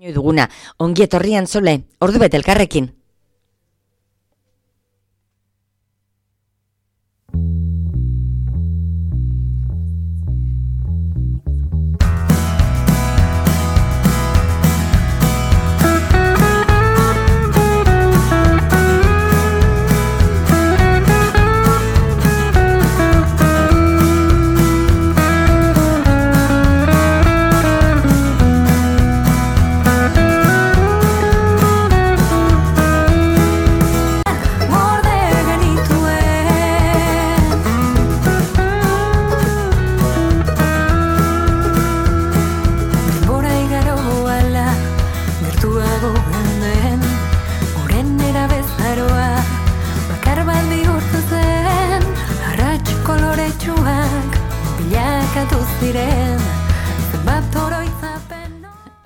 Duguna, ongi etorri Antzole, ordubete elkarrekin.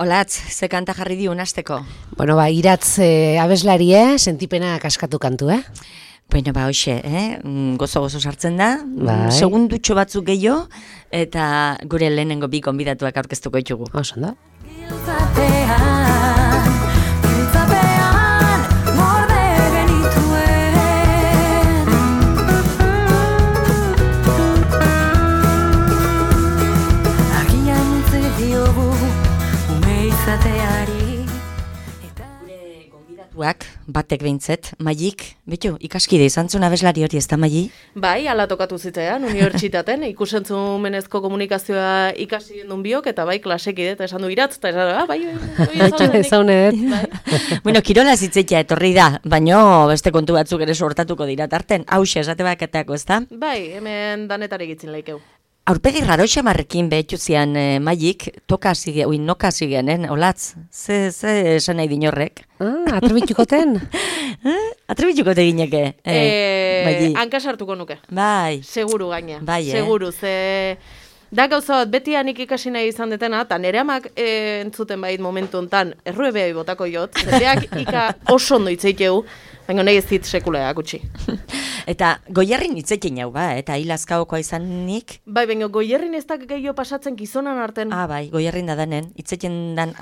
Olatz, ze kanta jarri diun hasteko? Bueno, iratz abeslari, sentipena kaskatu kantu, Bueno, hoxe, gozo sartzen da, Bai. segundutxo batzuk gehiago, eta gure lehenengo bi konbidatuak aurkeztuko ditugu. Oso, da? Batek behintzet, Maik, betu, ikaskide izan zuen abeslari hori, ez da Mai? Bai, ala tokatu zitzean, unibertsitaten, ikusentzunmenezko komunikazioa ikasi duen biok, eta bai, klasekide, eta esan du iratz, eta esan bai, ezaunet. Bueno, kirola zitzeitea etorri da, baino beste kontu batzuk ere sortatuko dira tarten, hause esate baketako, ez da? Bai, hemen danetari gitzin laikeu. Aurpegi raro xamarrekin behetxu zian Maik, noka zigen, Olatz, ze esan nahi dinorrek? Atrebitukoten? Atrebitukote gineke, Maik. Hankasartuko nuke. Bai. Seguru gaina, bai, seguru, ze... Da gauza bat, beti anik ikasi nahi izan detena, eta nire amak entzuten bait momentu hontan erruebea botako jot, zeteak ika oso ondo itzeiteu, baina nahi ez dit sekulaak utzi. Eta goierrin itzekin jau, eta hilazkaokoa izanik? Bai, baina goierrin ez da gehiago pasatzen gizonan arten. Bai, goierrin da danen, itzekin dan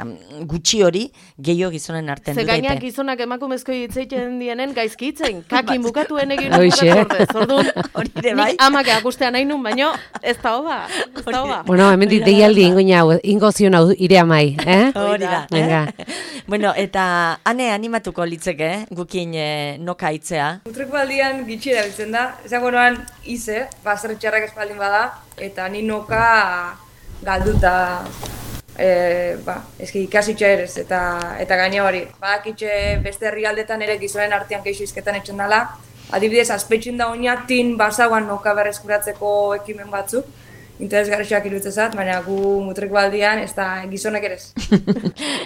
gutxi hori gehiago gizonen arten. Ze gainak gizonak emakumezko itzeiten dienen gaizki itzen, kakin bukatuen egin bukatu ordez, orduan, nik amak akustea nahi nun, baina ez da hoba. Bueno, hemen deialdi ingo zion hau ire amai, Hori da. Venga. Bueno, eta ane animatuko litzeke, gukin noka itzea. Mutreko aldian gitxi erabiltzen da, esango noan ize, zer txarrak espaldin bada, eta ni noka galduta, eski ikasitxa erez, eta gaina hori. Badakitxe beste herrialdetan ere gizonen artean keixo izketan etxen dela, adibidez, azpetxin da oina tin basauan noka berreskuratzeko ekimen batzuk, interesgarriak irutzezat, baina gu mutreko aldian ez da gizonek ere.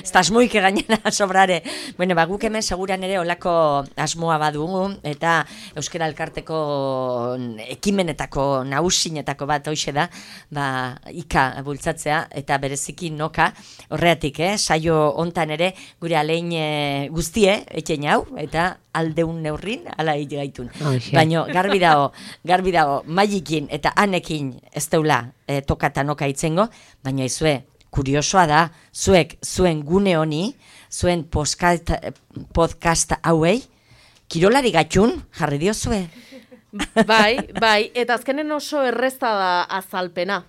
Ez da asmoik gainera sobrare. Bueno, guk hemen seguran ere olako asmoa badugu, eta Euskara Elkarteko ekimenetako, nagusinetako bat hoxe da, ika bultzatzea, eta bereziki noka, horreatik, saio hontan ere, gure alein guztie, etxen hau, eta aldeun neurrin, ala gaitun. Baina garbi dago, Maikin eta Anekin ez deula tokata noka itzengo, baina izue, kuriosoa da, zuek zuen gune honi, zuen podcast hauei, kirolari gatxun, jarri diozue? Bai, eta azkenen oso errezta da azalpena.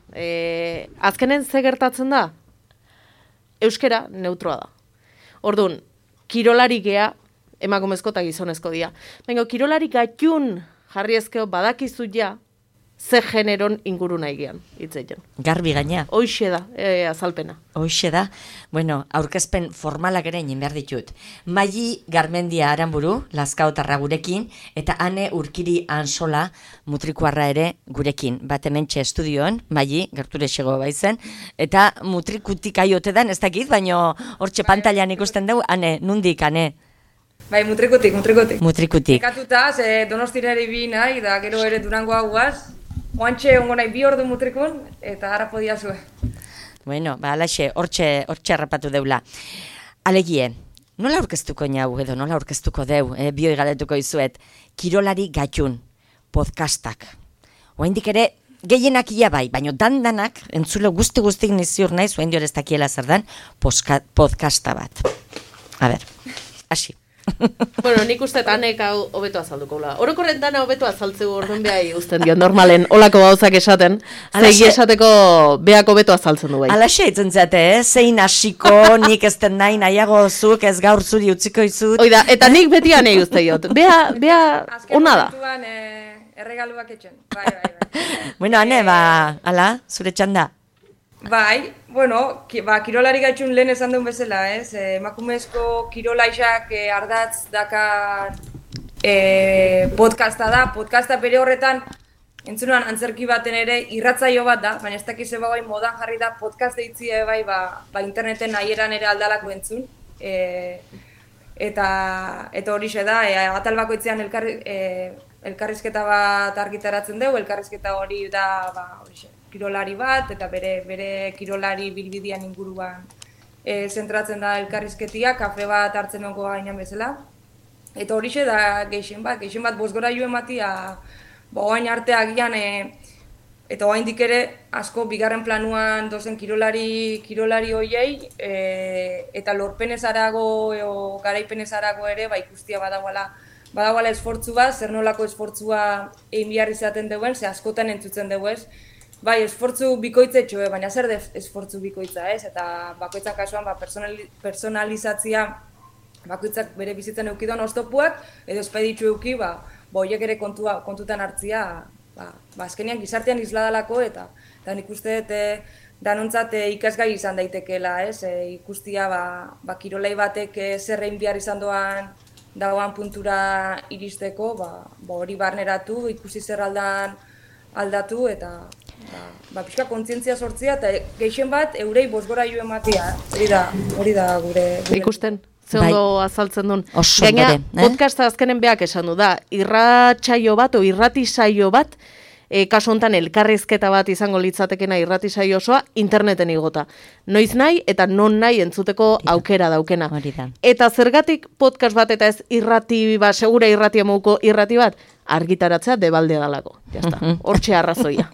Azkenen ze gertatzen da? Euskera neutroa da. Orduan, kirolari gea, emakumezko eta gizonezko dia. Baina kirolari gatxun jarri ezkeo badakizu ja, ze generon inguru nahi gian, hitzeiten. Garbi gaina. Hoixe da, azalpena. Hoixe da. Bueno, aurkezpen formalak ere egin behar ditut. Mai Garmendia Aranburu, Lazkaotarra gurekin, eta Ane Urkiri Ansola, mutrikuarra ere gurekin. Bat hementxe estudioan, Mai, gerture xego baizen, eta mutrikutik aiote dan, ez dakit, baina hortxe pantailan ikusten dugu, Ane, nundik, Ane? Bai, mutrikutik. Mutrikutik. Ekatuta, ze Donostira ere bi nahi, da gero ere Durangoa guaz, oantxe ongo nahi 2 ordu mutrikun, eta harra podia zue. Bueno, alaxe, hortxe harrapatu deula. Alegie, nola aurkeztuko nau edo, nola aurkeztuko deu, bioi galetuko izuet, kirolari gatxun, podcastak. Oaindik ere, gehienak ia bai, baina dandanak, entzulo guzti niziur nahi, zuen dior ez dakiela zer dan, podcasta bat. A ber, hasi. Bueno, nik uste anek hau hobeto azalduko la. Orokorren dana hobeto azaltzeu orduan behai uzten dio normalen olako gauzak esaten. Zegi esateko beak hobeto azaltzen du bai. Alaxe itzen zate, zein hasiko, nik ez den nahiago zuk, ez gaur zuri utziko izut. Oida, eta nik beti anei uste diot. Bea ona da. Azken momentuan erregaluak etxen. Bai. Bueno, ane, ala, zure txanda. Bai, bueno, kirolari gaitxun lehen esan duen bezala, ez? Emakumezko kirolaixak ardatz dakar podcasta da. Podcasta bere horretan, entzunan antzerki baten ere irratzaio bat da, baina ez dakiz bai modan jarri da podcast deitzi bai interneten nahieran ere aldalako entzun. Eta horixe da, atal bakoitzean elkarrizketa bat argitaratzen dugu, elkarrizketa hori da horixe. Kirolari bat, eta bere kirolari bilbidian inguruan zentratzen da elkarrizketia, kafe bat hartzen onko gainan bezala. Eta horixe da geixen bat bosgora joen batia, oain arteak gian, eta oaindik ere asko bigarren planuan dozen kirolari hoiei, eta lorpenezarago, garaipenezarago ere, ikustia badagoela esfortzu bat, zer nolako esfortzua egin behar izaten duen, ze askotan entzutzen dugu ez. Bai, esfortzu bikoitzetxo, baina zer esfortzu bikoitza, ez? Eta bakoitzak kasuan personalizatzia bakoitzak bere bizitzen eukidon oztopuak, edo espeditxu euki, horiek ere kontutan hartzia, azkenean gizartean isladalako, eta nik uste danontzat ikasgai izan daitekeela, ez? Ikustia, kirolai batek zer egin behar izan dagoan puntura iristeko, hori barneratu, ikusi zer aldatu, eta pixka kontzientzia sortzia eta gehien bat eurei bosgora jo ematea. Hori da gure... Ikusten, ze ondo azaltzen duen. Oso Gaina, bere. podcasta azkenen beak esan du da, irratsaio bat o irratisaio bat, kasu honetan elkarrizketa bat izango litzatekena irratisaio osoa, interneten igota. Noiz nahi eta non nahi entzuteko aukera daukena. Eta zergatik podcast bat eta ez irrati bat, segura irrati emuko irrati bat, argitaratzea debalde dalako. Jazta, hortxe arrazoia.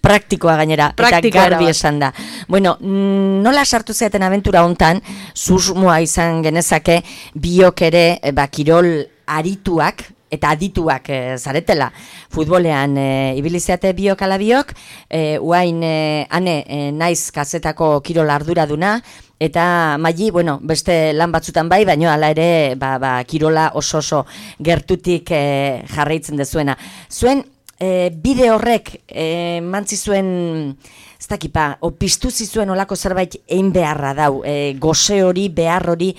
Praktikoa gainera, eta garbi esan da. Bueno, nola sartu zeaten abentura hontan, susmoa izan genezake, biok ere, kirol arituak, eta adituak zaretela. Futbolean ibilizeate biok ala biok, uain naiz kazetako kirol arduraduna, eta maili, beste lan batzutan bai, baina hala ere kirola oso gertutik jarraitzen dezuena. Zuen bide horrek mantzi zuen, ez dakipa, piztu zizuen olako zerbait egin beharra dau, goze hori, behar hori,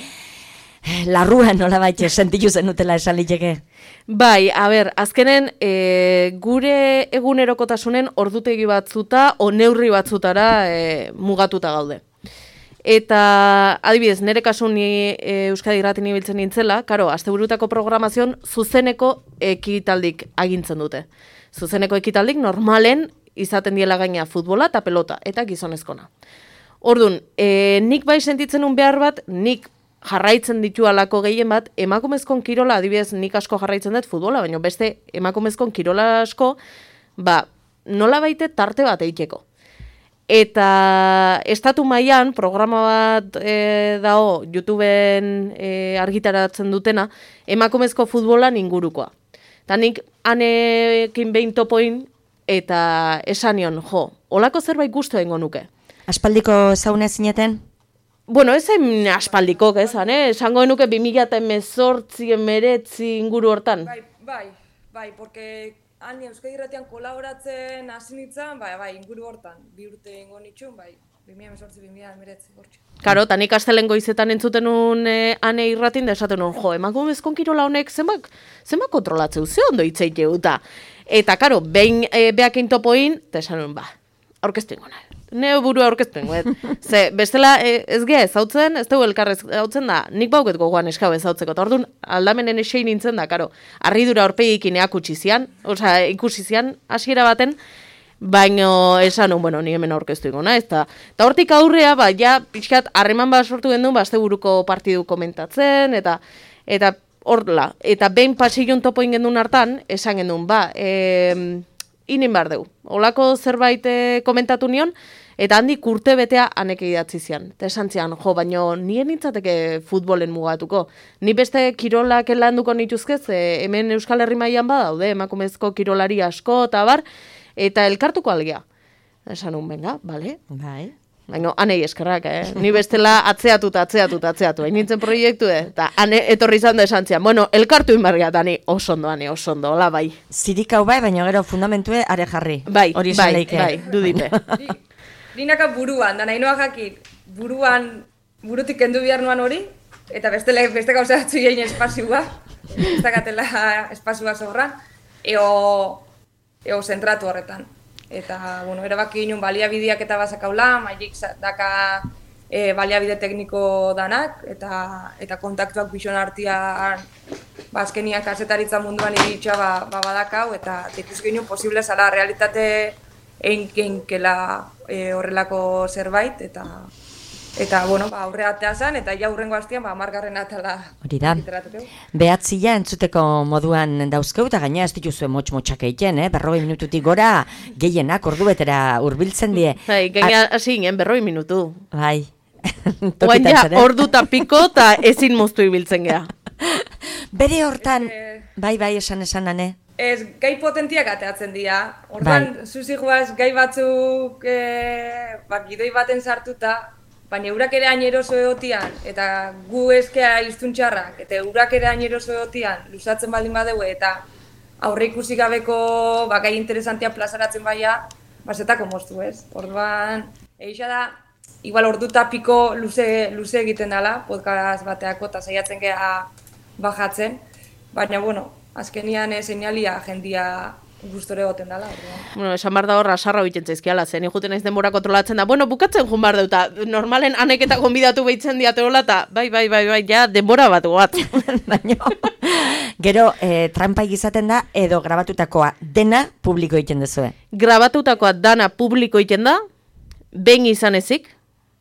larruan nolabait sentitu zenutela esan liteke? Bai, azkenen gure egunerokotasunen ordutegi batzuta o neurri batzutara mugatuta gaude. Eta adibidez, nire kasun ni Euskadi Irratin ibiltzen nintzela, karo, asteburutako programazioan zuzeneko ekitaldik agintzen dute. Zuzeneko ekitaldik normalen izaten diela gaina futbola eta pelota, eta gizonezkona. Orduan, nik bai sentitzen un behar bat, nik jarraitzen ditu alako gehien bat, emakumezkon kirola, adibidez, nik asko jarraitzen dut futbola, baina beste emakumezkon kirola asko, nola baite tarte bat egiteko. Eta estatu mailan programa bat dago YouTubeen argitaratzen dutena, emakumezko futbolan ingurukoa. Eta nik anekin behin topoin eta esanion, olako zerbait gustu egingo nuke. Aspaldiko zaune zineten? Bueno, ez hain aspaldiko, esango nuke 2018, 19 inguru hortan. Bai, porque... Han Euskadi Irratian kolaboratzen hasi nintzen, inguru hortan, 2 urte ingo nitxun, 2018-2019 hortxe. Karo, eta nik astelen goizetan entzuten nun ane irratin, da esaten nun, emakumezkon kirola honek zenbak kontrolatzeu, ze ondo hitzeit jeuta. Eta, karo, behin behakein topoin, eta esan nun, aurkeztu ingo nahi. Neo burua aurkeztu ingo, ze bestela ez geha ezautzen, ez dugu elkarrez ezautzen da, nik bauket gogoan eskau ezautzeko, eta orduan aldamenen esein nintzen da, karo, arridura horpegikin ikusi zian, hasiera baten, baino esan nun, ni hemen aurkeztu ingo nahi, eta hortik aurrea, ja, pixkat, harreman bat sortu gendun, asteburuko partidu komentatzen, eta horla, eta behin pasillon topo ingendun hartan, esan gendun, inin behar dugu. Olako zerbait komentatu nion, eta handik urte betea haneke idatzi zian. Eta esan zian, baino nien nintzateke futbolen mugatuko. Ni beste kirolak landuko nituzkez, hemen Euskal Herri mailan badaude, emakumezko kirolari asko, eta bar, eta elkartuko algea. Esan un, venga, bale? Bai. Baina, anei eskerrak, Ni bestela atzeatu. Hain nintzen proiektu, eta etorri izan da esan zian. Bueno, elkartu inbarria, eta ni oso ondo, hola, bai. Zirikau bai, baina gero fundamentue are jarri. Bai, hori bai, dudipe. Ninaka buruan, da nahi noa jakit, burutik kendu behar nuan hori, eta beste gauza batzu egin espazioa, ez dakatela espazioa sobran, eo zentratu horretan. Eta, bueno, erabaki ginen baliabideak eta bazakaula, mailik daka baliabide tekniko danak, eta kontaktuak bixon artian, azkenian kasetaritza munduan iritsa badakau, eta ikus ginen posible zala realitate einkela horrelako zerbait, eta bueno, aurre atea zen, eta ja hurrengo hastian, 10. atala. Hori da. Behatzila entzuteko moduan dauzkeu, eta gaina ez dituzue motx-motxak egiten, 40 minututik gora gehienak ordu betera hurbiltzen die. Bai, gaina hasi ginen 40 minutu. Bai. Oain ja, ordu eta piko, eta ezin moztu ibiltzen gea. Bere hortan, bai, esan ane. Ez, gai potentiak ateatzen dira. Orduan, zuzi joaz, gai batzuk gidoi baten sartuta, baina eurak ere aineroso egotian, eta gu eskea iztuntxarrak, eta eurak ere aineroso egotian, luzatzen baldin badeu, eta aurre ikusi gabeko gai interesantia plazaratzen baia, bazetako moztu ez. Orduan, eixa da, igual ordu eta piko luze egiten dela, podcast bateako, eta saiatzen geha bajatzen, baina, bueno, azkenian seinalia jendia gustore egoten dela. Bueno, esan behar da horra sarra egiten zaizkiala, zen ikuten naiz denbora kontrolatzen da. Bueno, bukatzen joan behar deuta, normalen anek eta gonbidatu behitzen diateola, eta bai, ja, denbora bat goat. Gero, trampa izaten da, edo grabatutakoa dena publiko egiten duzue? Grabatutakoa dana publiko egiten da, behin izan ezik,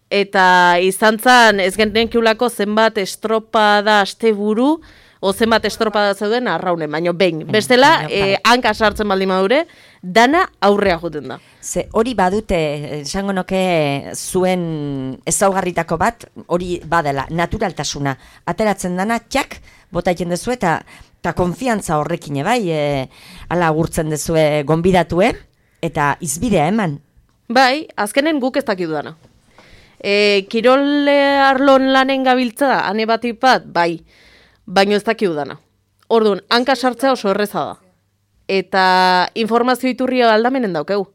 eta izan zan ez genenkiulako zenbat estropada asteburu, o zenbat estropada zeuden arraunen, baino behin. Bestela, hanka sartzen baldin madure, dana aurrea juten da. Ze hori badute, esango noke zuen ezaugarritako bat, hori badela, naturaltasuna. Ateratzen dana, txak, bota egiten dezu eta konfiantza horrekin, bai, ala agurtzen dezue gonbidatue, eta izbidea eman. Bai, azkenen guk ez dakidu dana. Kirol arlon lanen gabiltza, ane bat, bai, baino ez dakidu dana. Orduan, hanka sartzea oso erreza da. Eta informazio iturria aldamenen daukeu.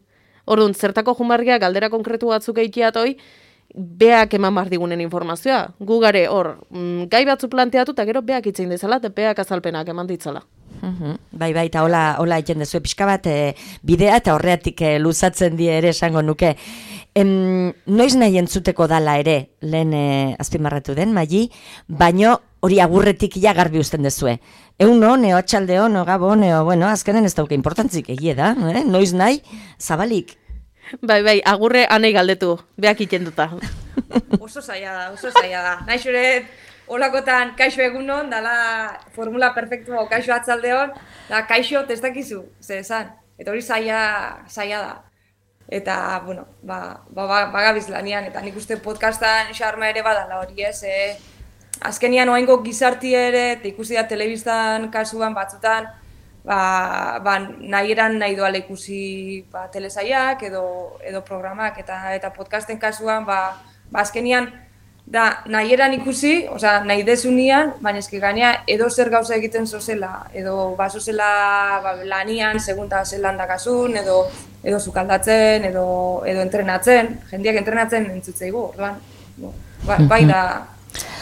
Orduan, zertako jumargiak galdera konkretu batzuk eitiatoi, beak eman bar digunen informazioa. Gu gare, hor, gai batzu planteatu, eta gero beak itzein dezala, eta beak azalpenak eman ditzala. Bai, eta hola egiten dezu pixka bat bidea, eta horreatik luzatzen die ere esango nuke. Noiz nahi entzuteko dala ere, lehen azpimarratu den, Maili, baino hori agurretik ja garbi uzten dezue. Eguno, neo atxaldeo, neo gabo, bueno, azkenen ez dauke importantzik egie da, noiz nahi, zabalik. Bai, agurre anei galdetu, beak itenduta. Oso zaila da. Nahi xuret, holakotan kaixo egunon, dala formula perfektua, kaixo atzaldeon, da kaixo testakizu, ze esan. Eta hori zaila da. Eta, bueno, bagabiz lanian, eta nik uste podcastan xarma ere badala hori ez, azkenian oaingo gizarti ere, eta ikusi da telebistan kasuan batzutan, nahi doala ikusi telesaiak edo programak, eta podcasten kasuan, azkenian, da nahi eran ikusi, nahi dezunian, baina eski gainea edo zer gauza egiten zozela, edo zozela lanian, segunta zelan dakasun, edo sukaldatzen, edo entrenatzen, jendeak entrenatzen entzutzeigu, orduan, bai da,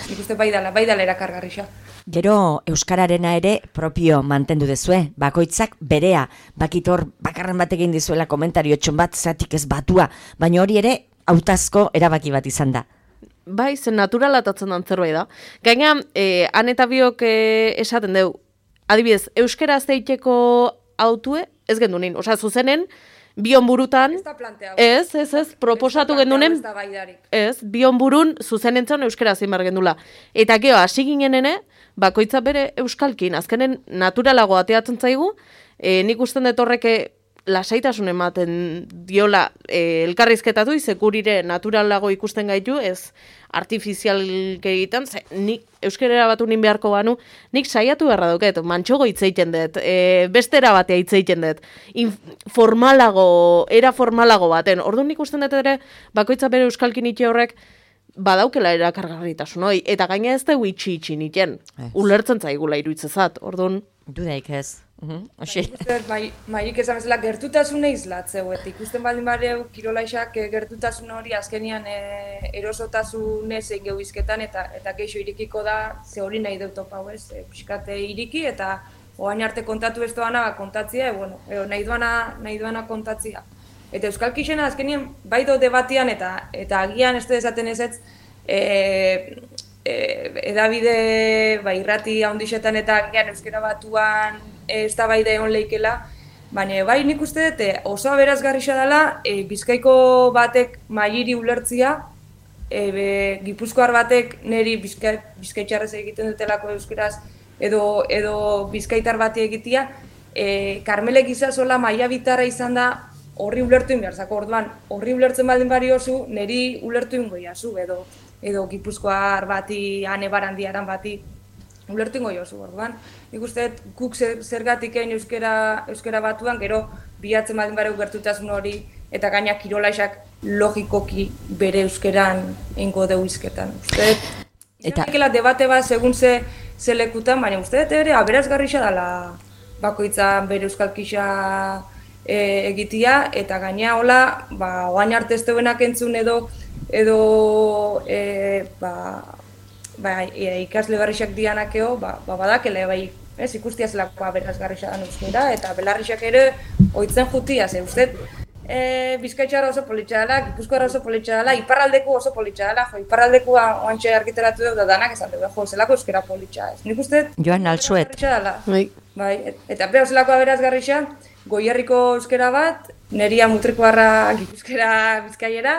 nik uste bai dala erakargarrixa. Gero Euskararena ere propio mantendu dezue, bakoitzak berea, bakitor bakarren batekin dizuela komentario txon bat, zatik ez batua, baina hori ere hautazko erabaki bat izan da. Bai, zen naturalatatzen dan zerbait da. Gaina, han eta biok esaten deu, adibidez, euskera zeiteko autue, ez gendunin, zuzenen, bion burutan, ez, proposatu gendunen, bion burun zuzenentzan euskera zein bar gendula. Eta geho, hasi ginenene, bakoitza bere euskalkin, azkenen naturalago ateatzen zaigu, nik usten dut horreke lasaitasun ematen diola elkarrizketatu, izekurire naturalago ikusten gaitu, ez artifizialke egiten, nik euskerera batu nin beharko banu, nik saiatu beharra duket, mantxogo hitzeiten dut, bestera batea hitzeiten dut, era formalago baten. Orduan nik usten dut ere, bakoitza bere euskalkin itxe horrek, badaukela erakargarritasun hoi, eta gaina ez da itxi niten, ulertzen zaigula iruitzezat, orduan. Dudaik ez. Maik esan bezala gertutasune izlatzeu, eta ikusten baldin bareu kirolaixak gertutasun hori azkenian erosotasunez egin gehuizketan eta geixo irikiko da, ze hori nahi dut topau ez, pixkate iriki eta oain arte kontatu ez doana kontatzia, nahi duana kontatzia. Eta Euskal Kixena azkenien bai do debatian eta agian ez dezaten ez edabide irrati handixetan eta agian euskera batuan ez da bai da egon leikela, baina bai nik uste dut oso aberazgarria dela Bizkaiko batek mailiri ulertzia, Gipuzkoar batek niri bizkaitxarrez egiten dutelako euskeraz edo bizkaitar bati egitea, Karmele Gizasola maila bitarra izan da horri ulertu inberzako, orduan horri ulertzen baldin bariozu, niri ulertu ingoiazu, edo Gipuzkoar bati, Ane Barandiaran bati, ulertu ingoiozu, orduan. Nik uste, guk zergatik egin euskera batuan, gero bilatzen baldin bareu gertutasun hori, eta gaina kirolaixak logikoki bere euskeran eingo deu izketan. Uste, izan debate bat segun ze lekutan, baina uste ere aberazgarria dela bakoitzan bere euskal kixa egitea, eta gaina hola, oain arte ez deuenak entzun edo ikasle garrixak dianakeo, badakele, ez ikustia zelako aberazgarria da euskera, eta belarrixak ere oitzen jutia, ze uste Bizkaitxarra oso politxa dela, Gipuzkoarra oso politxa dela, iparraldeku oso politxa dela, iparraldekua oantxe argiteratu dugu da danak esan dugu, zelako euskera politxa ez. Nik uste Joan Alsuet. Bai, eta beha zelako aberazgarria, Goierriko euskera bat, Neria Mutrikoarra Gipuzkera Bizkaiera,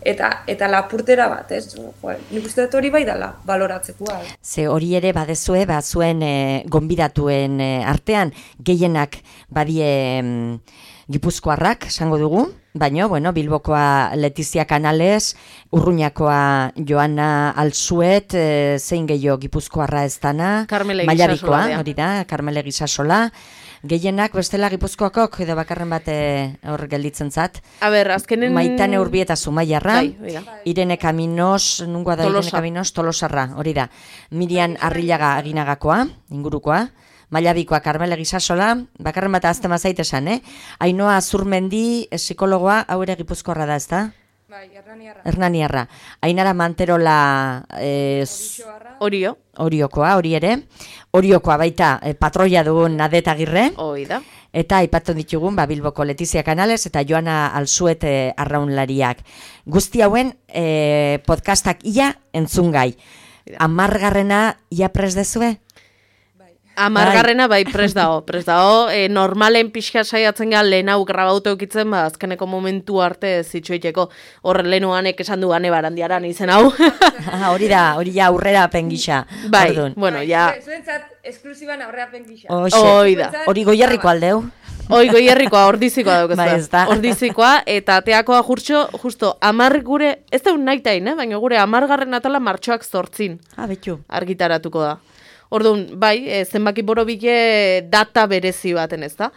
eta Lapurtera bat, ez? Nik uste dut hori bai dela, baloratzekoa. Ze hori ere badezue, zuen gonbidatuen artean, gehienak badie Gipuzkoarrak, esango dugu, baina, Bilbokoa Letizia Canales, Urruñakoa Joana Alsuet, zein gehiago Gipuzkoarra ez dana, Mailabikoa, hori da, Karmele Gizasola, gehienak bestela Gipuzkoakok edo bakarren bate hor gelditzen zat. Azkenen... Maitane Urbieta Zumaiarra, Irene Kaminos, nungoa da Irene Kaminos, Tolosarra, hori da. Mirian Arrillaga Aginagakoa, ingurukoa. Mailabikoa Karmele Gizasola, bakarren bat azte mazait esan, Ainoa Azurmendi, psikologoa, hau ere Gipuzkoarra da, ez da? Bai, Hernaniarra. Ainara Manterola Oriokoa, hori ere. Oriokoa baita patroia dugun Nadet Agirre. Oida. Eta aipatu ditugun Bilboko Letizia Canales eta Joana Alsuet arraunlariak. Guzti hauen podcastak ia entzungai. 10. ia prest dezue? 10. bai prest dago, normalen pixka saiatzen ga lehen hau grabauta eukitzen, azkeneko momentu arte zitsuiteko, hor lehenuanek esan du Ane Barandiaran izen hau. Hori ja aurrera pengisa. Bai, ja. Zuentzat, esklusiban aurrera pengisa. Hori Goierriko aldeu. Goierrikoa, ordizikoa dauk ez da. Ordizikoa, eta teakoa justo 10 gure, ez da un naitain, baina gure 10. atala martxoak 8 betu. Argitaratuko da. Orduan, bai, zenbaki borobile data berezi baten ez da.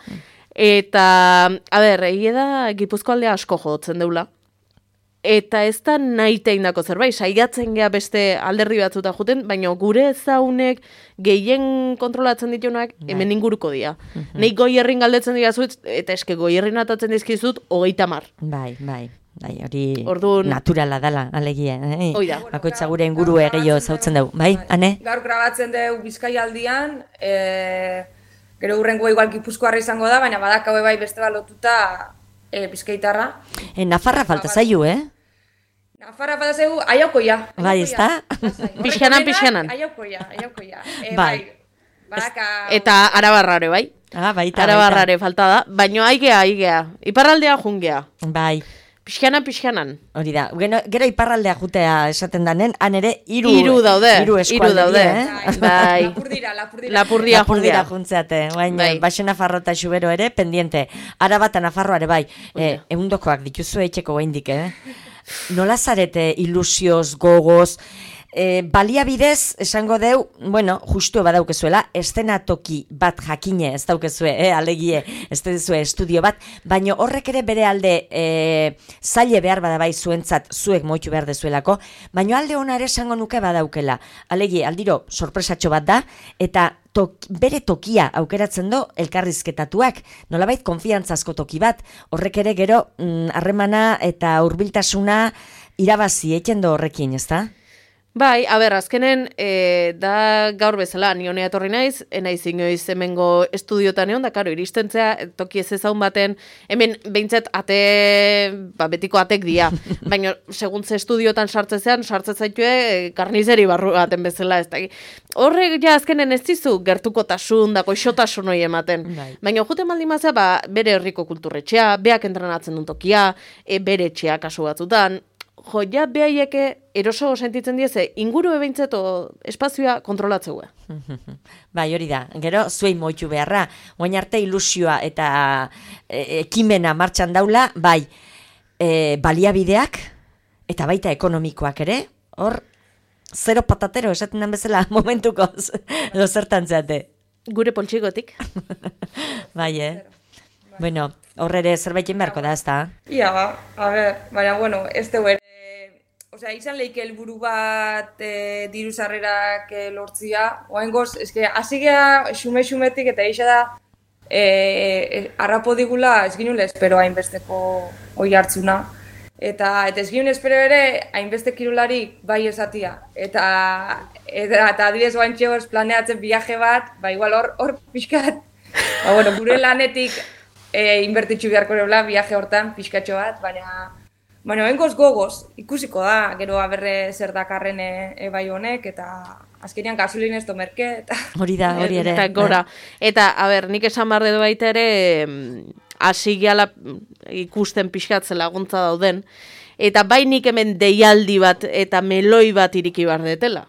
Eta, egia da, Gipuzko aldea asko jotzen deula. Eta ez da nahi teindako zerbait, saiatzen gea beste alderdi batzuta juten, baina gure ezaunek gehien kontrolatzen ditunak hemen inguruko dira. Nei Goierrin galdetzen dira zuet, eta eske Goierrin atatzen dizkizut 30. Bai, hori naturala dela, alegia. Bakoitza gure inguru gehiago zautzen dugu, bai, Ane? Gaur grabatzen dugu Bizkaialdian, gero hurrengoa igual Gipuzkoarra izango da, baina badakau bai beste balotuta Bizkaitarra. Nafarra falta zaiu, Nafarra falta zaiu, aiaukoia. Bai, ez da? Pixkanan. Aiaukoia. Bai. Eta Arabarrare, bai? Baita. Arabarrare falta da, baina aigea. Iparraldea jungea. Bai. Pixkanan. Hori da. Gero iparraldea jutea esaten danen, han ere hiru daude. Bai. Lapurdia juntzeate. Baina, Baixo Nafarro eta Xubero ere, pendiente. Araba eta Nafarroare bai. Eundokoak dituzu etxeko gaindik, Nola zarete ilusioz, gogoz, baliabidez, esango deu, justu badaukezuela, eszenatoki bat jakine, ez daukezue, alegie, ez duzue estudio bat, baina horrek ere bere alde zaile behar badabai zuentzat, zuek moitu behar dezuelako, baina alde hona ere esango nuke badaukela. Alegie, aldiro, sorpresatxo bat da, eta bere tokia aukeratzen do elkarrizketatuak, nolabait konfiantzazko toki bat, horrek ere gero harremana eta hurbiltasuna irabazi eten do horrekin, ezta? Bai, azkenen, da gaur bezala, ni honea etorri naiz, enaiz inoiz hemengo estudiotan egon, da, karo, iristentzea, toki ez ezaun baten, hemen behintzat betiko atek dia, baina seguntze estudiotan sartzezean, sartzezaitue karnizeri barru baten bezala, ez da. Horrek ja azkenen ez dizu gertukotasun, da goixotasun hori ematen. Baina jute maldimazea, bere herriko kulturretxea, beak entrenatzen duen tokia, bere etxea kasu batzutan, ja, behaieke eroso sentitzen dieze, inguru ebintzeto espazioa kontrolatzeue. Bai, hori da. Gero, zuei moitu beharra. Oain arte ilusioa eta ekimena martxan daula, bai, baliabideak eta baita ekonomikoak ere, hor, zero patatero esaten den bezala momentuko edo zertan zeate. Gure poltsigotik. Bai, Bueno, horre zerbaiten beharko da, ez da? Ia, baina, ez dugu ere, izan lehike helburu bat diru sarrerak lortzia, oaingoz, hasi geha xume-xumetik eta eixa da, harrapo digula ez ginula espero hainbesteko oi hartzuna. Eta ez ginula espero ere hainbeste kirolari bai esatia. Eta adibidez oaintxe hor planeatzen viaje bat, igual hor pixkat, gure lanetik inbertitxu beharko erola viaje hortan pixkatxo bat, baina hengoz gogoz, ikusiko da, gero aberre zer dakarren bai honek, eta azkenean gasolin ez merke, eta... Hori da, hori ere. Eta gora. Eta, nik esan barde du baita ere, hasi gehala ikusten pixkatzen laguntza dauden, eta bai nik hemen deialdi bat eta meloi bat iriki bardetela.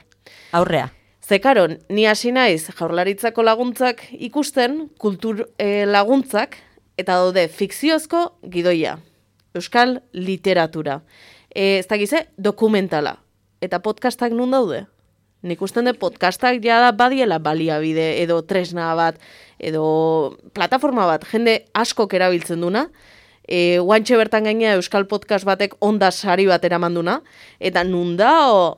Aurrea. Zekaro, ni hasi naiz Jaurlaritzako laguntzak ikusten, kultur laguntzak, eta daude fikziozko gidoia. Euskal literatura. Ez dakize, dokumentala. Eta podcastak nun daude? Nik usten de podcastak jada badiela baliabide, edo tresna bat, edo plataforma bat, jende askok erabiltzen duna, guantxe bertan gaina Euskal Podcast batek onda sari bat eramanduna, eta nun da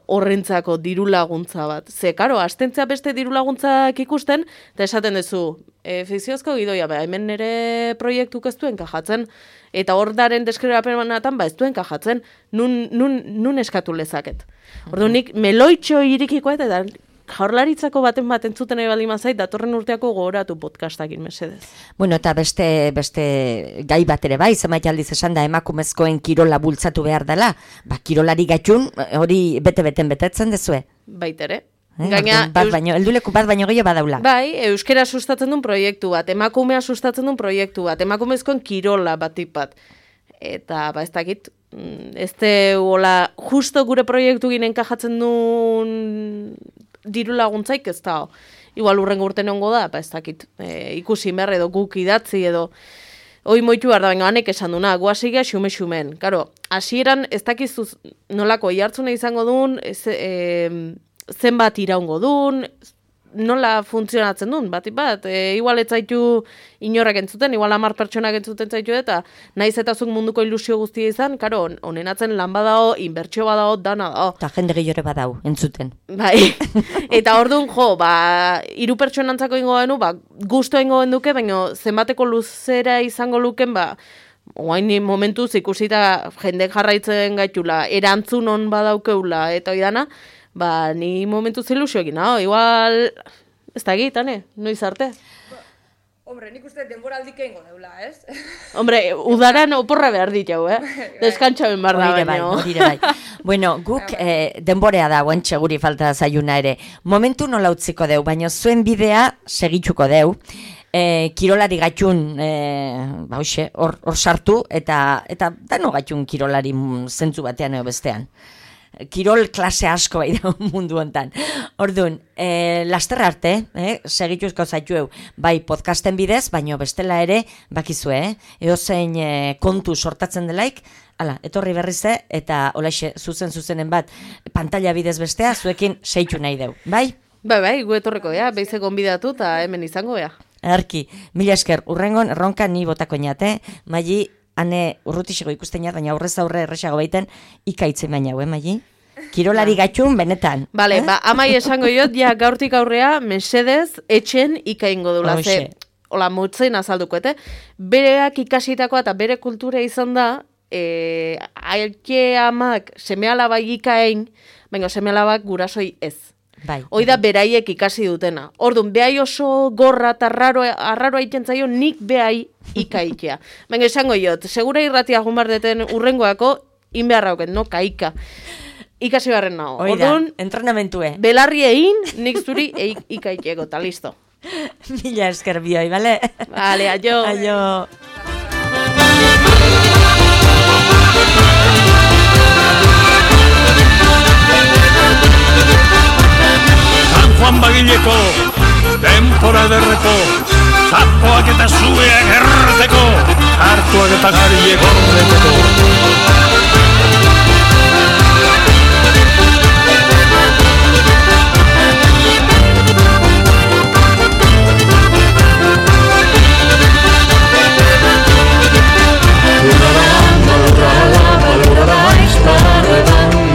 horrentzako diru laguntza bat. Ze, karo, astentzea beste diru laguntzak ikusten, eta esaten duzu, fikziozko gidoia, hemen nire proiektuk ez duen kajatzen, eta hor daren deskribapenatan ez duen kajatzen, nun eskatu lezaket. Orduan nik meloitxo irikikoa eta Jaurlaritzako baten entzuten nahi baldin mazait, datorren urteako gogoratu podcastakin mesedez. Bueno, eta beste gai bat ere bai, zenbait aldiz esan da emakumezkoen kirola bultzatu behar dela, kirolari gaitun hori bete-beten betetzen dezue. Baitere. Helduleku bat baino gehiago badaula. Bai, euskera sustatzen duen proiektu bat, emakumea sustatzen duen proiektu bat, emakumezkoen kirola batik bat. Eta, ez dakit, ez hola, justo gure proiektu ginen enkajatzen duen diru laguntzaik ez da. Igual urrengo urten ongo da, ez dakit, ikusi behar edo guk idatzi edo hoi moitu behar da, baina hanek esan duna, guazigia xume-xumen. Karo, hasieran ez dakizu nolako ihartzuna izango duen, zenbat iraungo duen, nola funtzionatzen duen, bat, igual ez zaitu inorrak entzuten, igual 10 pertsonak entzuten zaitu eta naiz eta zuk munduko ilusio guztia izan, karo, honenatzen lan badao, inbertsio badao, dana dao. Eta jende gehiore badao, entzuten. Bai, eta orduan, 3 pertsonantzako ingo denu, gusto ingo duke, baina zenbateko luzera izango luken, oain momentuz ikusita jendek jarraitzen gaitula, erantzun on badaukeula, eta oidana, ni momentu ilusio egin, igual, ez da egitane, noiz arte. Hombre, nik uste denboraldik egingo neula, ez? Hombre, udaran oporra behar ditau, Deskantxaben behar da baino. Bai. Bueno, guk denborea da, guantxe guri falta zaiuna ere. Momentu nola utziko deu, baina zuen bidea segitzuko deu. kirolari gatxun, hor sartu, eta dano gatxun kirolari zentzu batean edo bestean. Kirol klase asko bai da mundu hontan. Orduan, laster arte, segituzko zaitueu, bai podcasten bidez, baino bestela ere, bakizue, eozein kontu sortatzen delaik, hala, etorri berrize, eta holaxe zuzenen bat, pantalla bidez bestea, zuekin seitu nahi deu, bai? Bai, gu etorreko dea, beize gonbidatu eta hemen izango dea. Erki, mila esker, urrengon erronka ni botako inate, Maili, hane urrutixego ikusten jat, baina aurrez aurre erresago baiten, ikaitzen baina, Maili? Kirolari gatxun, benetan. Bale, amai esango jot, ja gaurtik aurrea, mesedez, etxen ikaingo dula, ze, hola, motzen azalduko, bereak ikasitakoa eta bere kultura izan da, ailke amak seme-alabak ikain, baina seme-alabak gurasoi ez. Bai. Hoi da beraiek ikasi dutena. Orduan, behai oso gorra eta arraro aiten zaio, nik behai ikaikea. Baina esango jot, segura irratia jumbardeten urrengoako, inbeharrauken, no, kaika. Ikasi barren nago. Orduan, entrenamentue. Belarri egin, nik zuri ikaikeko, eta listo. Mila esker bioi, bale? Bale, aio. Aio. Juan Bagileko, denpora ederreko, zapoak eta zueak erreteko, hartuak eta gariek horreteko.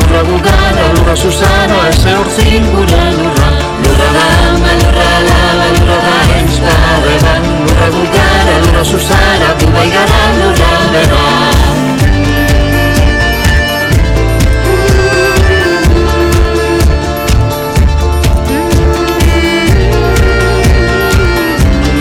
Lurra gugana, lurra Susana, ese horzin gure lurra. Lurra dama, lurra lava, lurra da espada, lurra gugana, lurra Susana, tu bai gara.